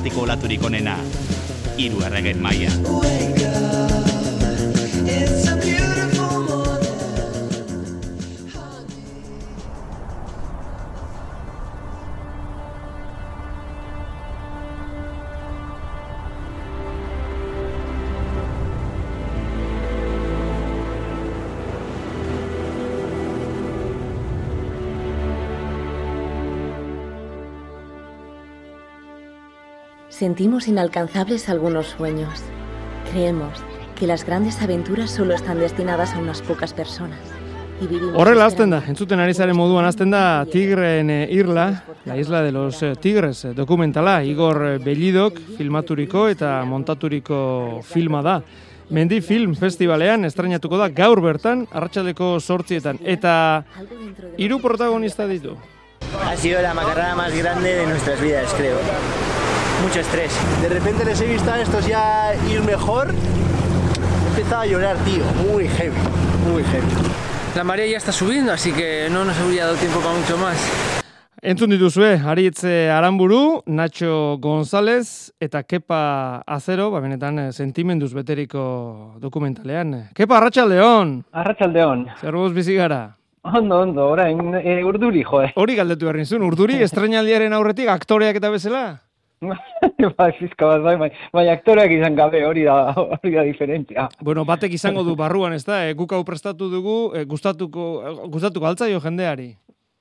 irratiko olaturik onena, 3 erregen maila. Sentimos inalcanzables algunos sueños. Creemos que las grandes aventuras solo están destinadas a unas pocas personas. Horrela hasten da, entzuten ari zaren moduan hasten da Tigreen Irla, la isla de los tigres dokumentala, Igor Bellidok filmaturiko eta montaturiko filma da. Mendi Film Festivalean estrainatuko da gaur bertan, arratsaldeko 8:00, eta 3 protagonista ditu. Ha sido la macarrada más grande de nuestras vidas, creo. Mucho estrés. De repente les he visto a estos ya ir mejor. He empezado a llorar, tío. Muy heavy, muy heavy. La marea ya está subiendo, así que no nos habría dado tiempo para mucho más. Entzun dituzue, Aritz Aranburu, Nacho González eta Kepa Azero, benetan sentimenduz beteriko dokumentalean. Kepa, arratsaldeon! Arratsaldeon. Zer moduz bizi gara? Ondo, orain urduri, joe. Hori galdetu behar nizun, urduri estreinaldiaren aurretik aktoreak eta bezala? Fizka bat, bai, aktoreak izan gabe, hori da diferentzia. Bueno, batek izango du barruan, ez da? Guk hau prestatu dugu, gustatuko altzaio jendeari.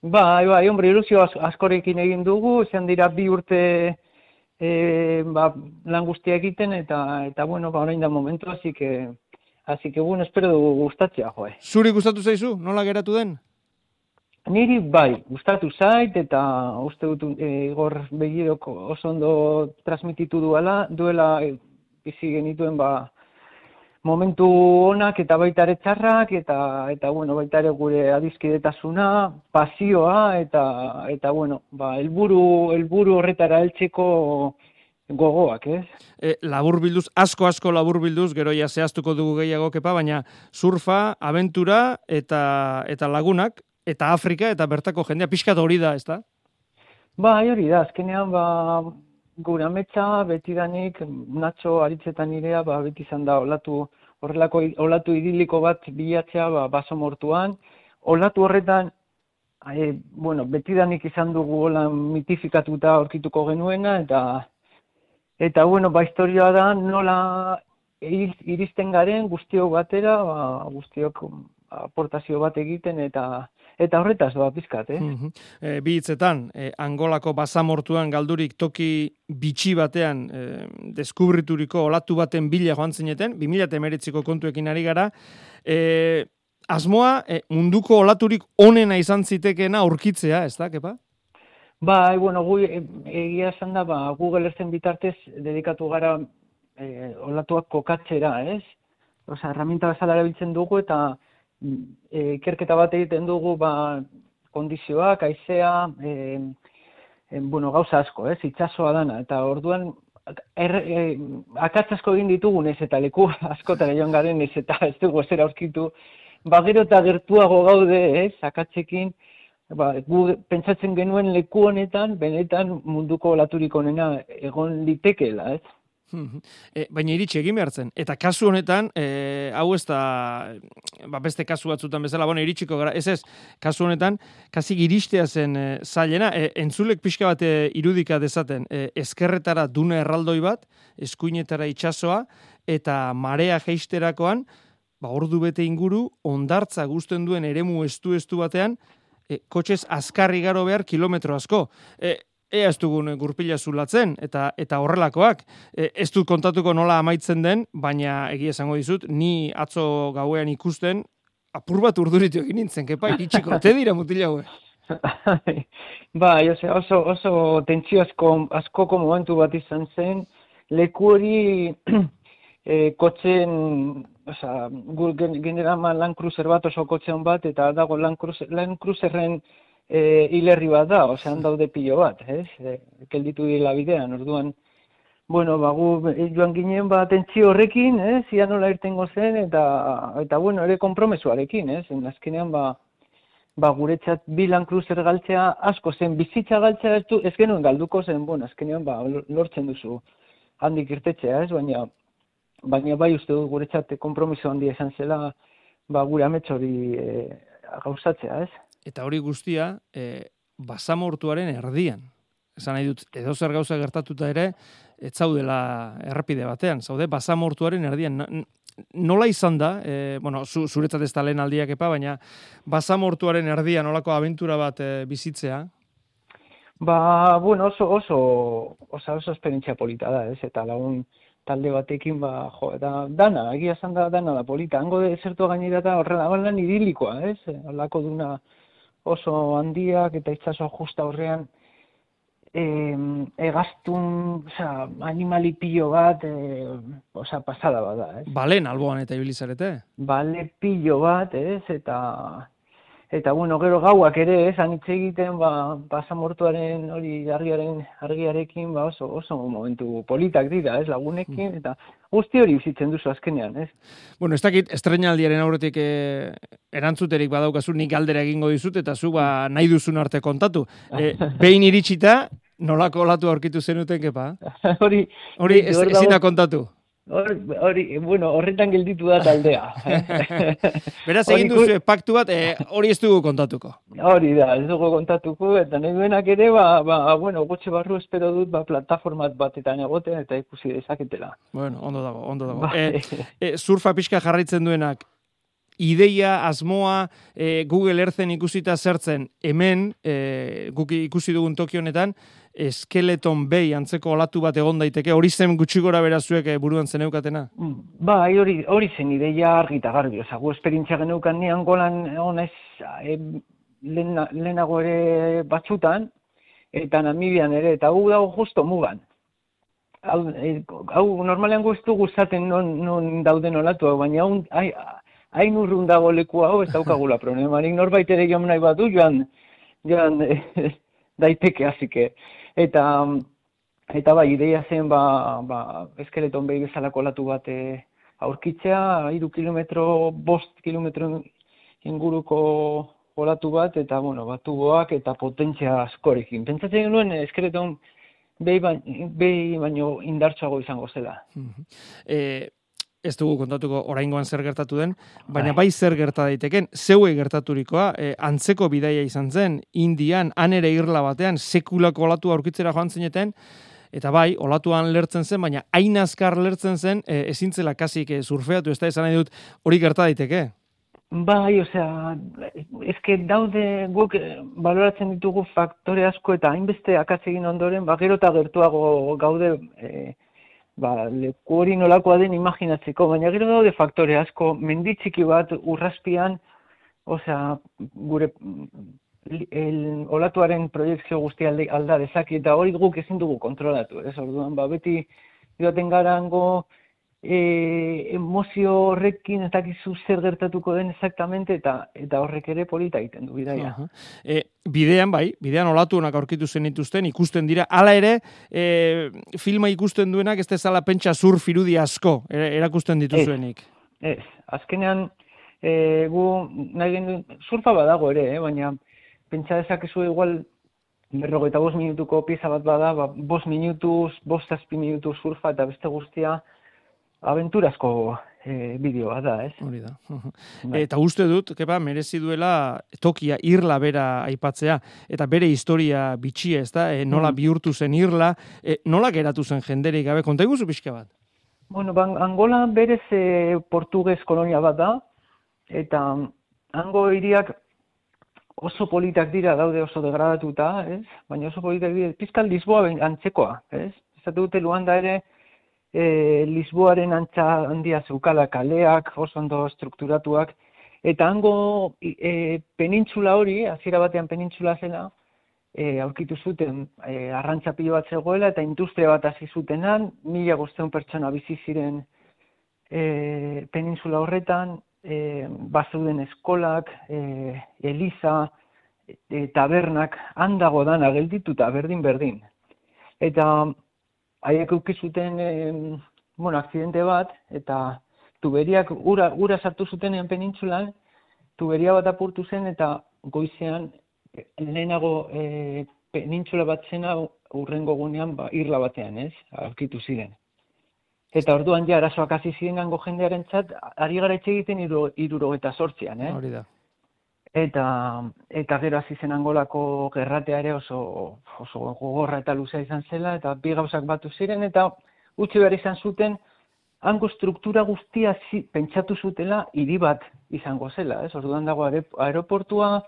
Bai, hombre, ilusio askorekin egin dugu, izan dira 2 urte lan guztia egiten, eta bueno, orain da momentu, así que bueno, espero dugu gustatzea, joe. Zuri gustatu zaizu? Nola geratu den? Niri bai, gustatu zait, eta uste dut Igor Bellidok oso ondo transmititu duela bizi genituen momentu onak eta baita ere txarrak, eta bueno, baita ere gure adiskidetasuna, pasioa, eta bueno, helburu horretara heltzeko gogoak, ez? Laburbilduz, asko laburbilduz, gero ja zehaztuko dugu gehiago, Kepa, baina surfa, abentura eta lagunak, eta Afrika, eta bertako jendea, pixkat hori da, ez da? Bai, hori da, azkenean, gure ametsa, betidanik, Nacho Aritzetan nirea, beti izan da, olatu idiliko bat bilatzea, baso mortuan. Olatu horretan, bueno, betidanik izan dugu mitifikatuta aurkituko genuena, eta bueno, historioa da, nola iristen garen guztiok batera, guztiok aportazio bat egiten, eta horretaz doa pizkat, Bi hitzetan, Angolako basamortuan galdurik toki bitxi batean deskubrituriko olatu baten bila joan zineten, 2019ko kontuekin ari gara. Asmoa, munduko olaturik onena izan zitekeena aurkitzea, ez da, Kepa? Bai, bueno, egia esan da, Google Earthen bitartez dedikatu gara olatuak kokatzera, ez? Osa, herramienta bezala erabiltzen dugu, eta ikerketa bat egiten dugu kondizioak, haizea, bueno, gauza asko, itsasoa dana, eta orduan akats asko egin ditugu, ez eta leku askotara joan garen, ez eta ez dugu ezer aurkitu, gero eta gertuago gaude, akatsekin, gu pentsatzen genuen leku honetan, benetan munduko olaturik onena egon litekeela, ez? Baina iritsi egin behartzen. Eta kasu honetan, hau ez da, beste kasu batzutan bezala, iritsiko gara, ez, kasu honetan, kasik iristea zen zailena, entzulek pixka bat irudika dezaten, ezkerretara dune erraldoi bat, eskuinetara itsasoa, eta marea jeisterakoan, ordu bete inguru, ondartza guztien duen eremu estu batean, kotxez azkarri garo behar kilometro asko. Ea ez dugun gurpila zulatzen, eta horrelakoak. Ez dut kontatuko nola amaitzen den, baina egia esango dizut, ni atzo gauean ikusten, apur bat urduritu egin nintzen, Kepa, iritsiko, te dira mutila haue. Bai, oso tentsio askoko momentu bat izan zen, leku hori kotxen, generaman Land Cruiser bat oso kotxean bat, eta dago Land Cruiserren hilerri bat da, osean daude pilo bat, kelditu dira bidean, orduan, bueno, gu joan ginen tentsio horrekin, ia nola irtengo zen, eta bueno, ere konpromesuarekin, azkenean guretzat bi Land Cruiser galtzea asko zen, bizitza galtzea ez genuen galduko zen, azkenean lortzen duzu handik irtetzea, ez, baina bai uste dut guretzat konpromiso handia izan zela, gure amets hori gauzatzea, ez? Eta hori guztia, basamortuaren erdian. Esan nahi dut, edo zer gauza gertatuta ere, ez zaudela errepide batean, zaude basamortuaren erdian. Nola izan da, zuretzat ez da lehen aldiak baina basamortuaren erdian nolako abentura bat bizitzea? Oso esperientzia polita da, ez? Eta lagun talde batekin, dana, egia esan da dana da polita. Hango desertua gainera da horrela idilikoa, ez? Horrelako duna oso handiak eta itsaso justa horrean, egaztun, animali pilo bat, pasada bat da, ez? Balen alboan eta ibilizarete? Bale pilo bat, ez? Eta gero gauak ere, ez? Anitz egiten, basamortuaren hori argiarekin, oso momentu politak dira, ez? Lagunekin, eta guzti hori bizitzen duzu azkenean, ez? Ez dakit, estreinaldiaren aurretik erantzuterik badaukazu, nik galdera egingo dizut, eta zu nahi duzun arte kontatu. Behin iritsita, nolako olatu aurkitu zenuten, kepa? Hori ezin da kontatu. Horretan gelditu da taldea. Beraz, egin duzu paktu bat, hori ez dugu kontatuko. Hori da, ez dugu kontatuko, eta nahi duenak ere, gutxe barru espero dut, plataformat batetan egoten, eta ikusi dezaketela. Ondo dago. Surfa pixka jarraitzen duenak, ideia, asmoa, Google Earthen ikusita zertzen, hemen, guk ikusi dugun toki honetan, Skeleton Bay antzeko olatu bat egon daiteke, hori zen gutxi gora berazuek buruan zeneukatena? Hori zen ideia argi eta garbi, gu esperientzia geneukan ni Angolan honez lehenago ere batzutan, eta Namibian ere, eta gu dago justo mugan. Hau normalean gu ez dugu zaten non dauden olatu, baina hain urrun dago leku hau, ez daukagula problemarik, norbait ere joan nahi badu, joan daiteke hasike. Eta ideia zen, Skeleton Bay bezalako olatu bat aurkitzea, 3 kilometro, 5 kilometro inguruko olatu bat, eta, tuboak eta potentzia askorekin. Pentsatzen genuen Skeleton Bay baino indartsuago izango zela. Ez dugu kontatuko oraingoan zer gertatu den, baina bai zer gerta daiteken, zeue gertaturikoa, antzeko bidaia izan zen, Indian, han ere irla batean, sekulako olatu aurkitzera joan zineten, eta bai, olatuan lertzen zen, baina hain azkar lertzen zen, ezintzela kasik surfeatu, ez da esan nahi dut, hori gerta daiteke? Ezke daude guk baloratzen ditugu faktore asko eta hainbeste akats egin ondoren, gero eta gertuago gaude, leku hori nolakoa den imaginatzeko, baina gero daude faktore asko, menditxiki bat urraspian, gure olatuaren proiektzio guztia alda dezaki, eta hori guk ezin dugu kontrolatu, ez orduan, beti joaten garango emozio horrekin ez dakizu zer gertatuko den exactamente, eta horrek ere polita egiten du bidaia. Bidean olatu honak aurkitu zenituzten, ikusten dira, hala ere, filma ikusten duenak ez dezala pentsa surf irudi asko erakusten dituzuenik. Ez, azkenean gu nahi genuen, surfa badago ere, baina pentsa dezakezu igual 45 minutuko pieza bat bada, 5 minutuz, 5-6 minutuz surfa eta beste guztia abenturazko bideoa da, ez? Hori da. Eta uste dut, merezi duela tokia irla bera aipatzea, eta bere historia bitxia, ez da? Nola bihurtu zen irla, nola geratu zen jenderik gabe, konta iguzu pixka bat? Angola berez portugez kolonia bat da, eta hango hiriak oso politak dira, daude oso degradatuta, ez? Baina oso politak dira, pizkal Lisboa antzekoa, ez? Ez dute Luanda ere, Lisboaren antza handia zeukala kaleak, oso ondo strukturatuak, eta hango penintzula hori, hasiera batean penintzula zela, aurkitu zuten arrantza pilo bat zegoela, eta industria bat hasi zutenan, 1500 pertsona bizi ziren penintzula horretan, bazeuden eskolak, eliza, tabernak, handago dana geldituta, berdin. Eta haiek eukizuten, akzidente bat, eta tuberiak ura sartu zutenean penintzulan, tuberia bat apurtu zen, eta goizean lehenago penintxula bat zena urrengo gunean irla batean, ez? Aurkitu ziren. Eta orduan ja arazoak hasi ziren gango jendearentzat, ari gara etxe egiten 78an, Hori da. Eta gero hasi zen Angolako gerratea ere oso gogorra eta luzea izan zela, eta bi gauzak batu ziren, eta utzi behar izan zuten, hango struktura guztia pentsatu zutela hiri bat izango zela, ez? Orduan dago aeroportua,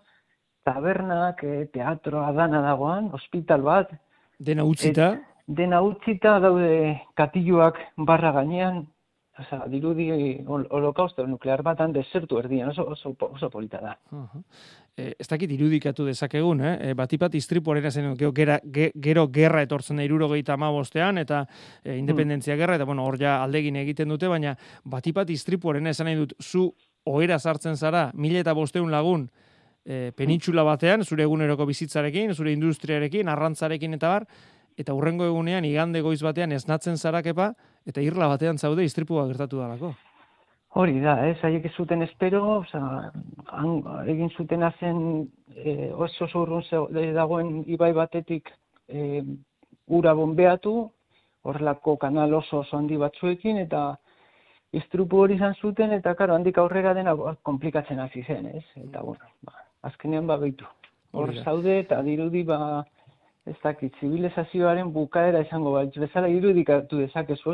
tabernak, teatroa dana dagoan, ospital bat. Dena utzita? Dena utzita daude katiluak barra gainean, dirudi holokausto nuklear batan desertu erdian, oso polita da. Ez dakit irudikatu dezakegun, batipat istripuarena zen, gero gerra etortzen da 75ean, eta independentzia gerra, eta hor ja aldegin egiten dute, baina batipat istripuarena esan nahi dut, zu ohera sartzen zara, 1500 lagun, penintxula batean, zure eguneroko bizitzarekin, zure industriarekin, arrantzarekin eta bar, eta hurrengo egunean, igande goiz batean esnatzen zara kepa, eta irla batean zaude istripua gertatu dalako. Hori da, haiek ez zuten espero, egin zutena zen oso urrun dagoen ibai batetik ura bombeatu, horrelako kanal oso handi batzuekin, eta istripu hori izan zuten, eta karo, handik aurrera dena komplikatzen hasi zen, ez? Eta, azkenean behitu. Hor zaude, eta dirudi, ez dakit, zibilizazioaren bukaera izango bezala irudikatu dezakezu,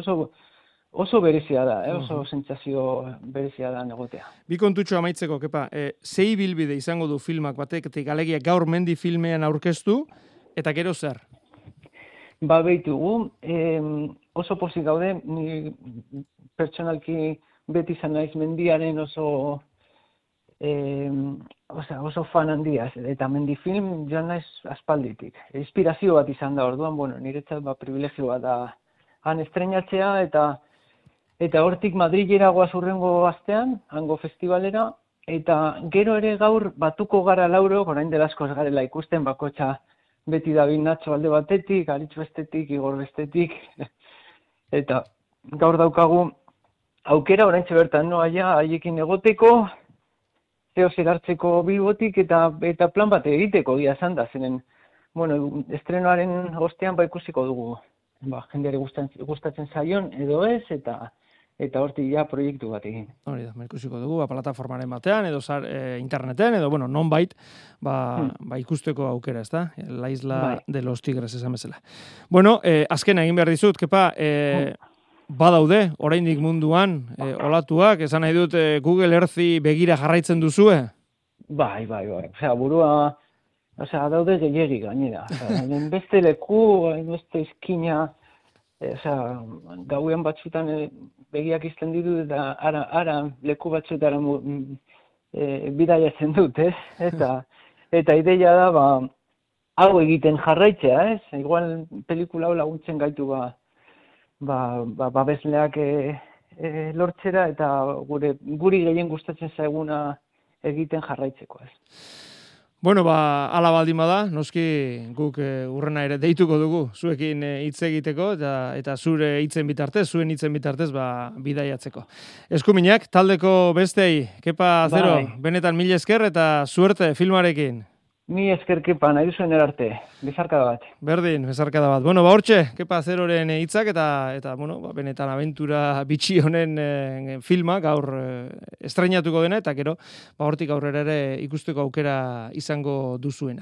oso berezia da, oso sentsazio berezia da negotea. Bi kontutxo amaitzeko, kepa, zei bilbide izango du filmak batetik, alegia gaur mendi filmean aurkeztu, eta gero zer? Behitugu, oso pozik gaude, ni pertsonalki beti izan naiz mendiaren oso fan handia, eta mendifilm joan naiz aspalditik. Inspirazio bat izan da orduan, niretzat privilegioa da han estrenatzea, eta hortik Madrilera goaz hurrengo astean, hango festivalera, eta gero ere gaur batuko gara lauro, orain dela askoz garela ikusten, bakotxa beti David Nacho alde batetik, Aritz bestetik, Igor bestetik, eta gaur daukagu aukera oraintxe bertan haiekin egoteko, zer hartzeko Bilbotik eta plan bat egiteko gia esan da, zenen, estrenoaren ostean ikusiko dugu, jendeari gustatzen zaion edo ez, eta hortik proiektu bat egin. Hori da, ikusiko dugu, plataformaren batean, edo interneten, edo, nonbait, ikusteko aukera, ez da? La Isla de los Tigres, esan bezala. Azken egin behar dizut, kepa, badaude, oraindik munduan, olatuak, esan nahi dut Google Earthi begira jarraitzen duzue? Bai. Burua, daude gehiegi gainera. Beste leku, beste izkina, gauean batzutan begiak izten ditu, eta ara leku batzuetara bidaiatzen dut, ez? Eta ideia da, hau egiten jarraitzea, ez? Igual pelikula hau laguntzen gaitu babesleak lortzera, eta guri gehien gustatzen zaiguna egiten jarraitzeko, ez. Ala baldin bada, noski guk urrena ere deituko dugu, zuekin hitz egiteko, eta zure hitzen bitartez, zuen hitzen bitartez, bidaiatzeko. Eskuminak, taldeko bestei, Kepa Zero, benetan mil esker eta suerte filmarekin. Mi esker, Kepa, nahi duzuen erarte, bezarkada bat. Berdin, bezarkada bat. Hortxe, Kepa Zeroren hitzak eta benetan abentura bitxi honen filma gaur estreinatuko dena, eta gero, hortik aurrera ere ikusteko aukera izango duzuena.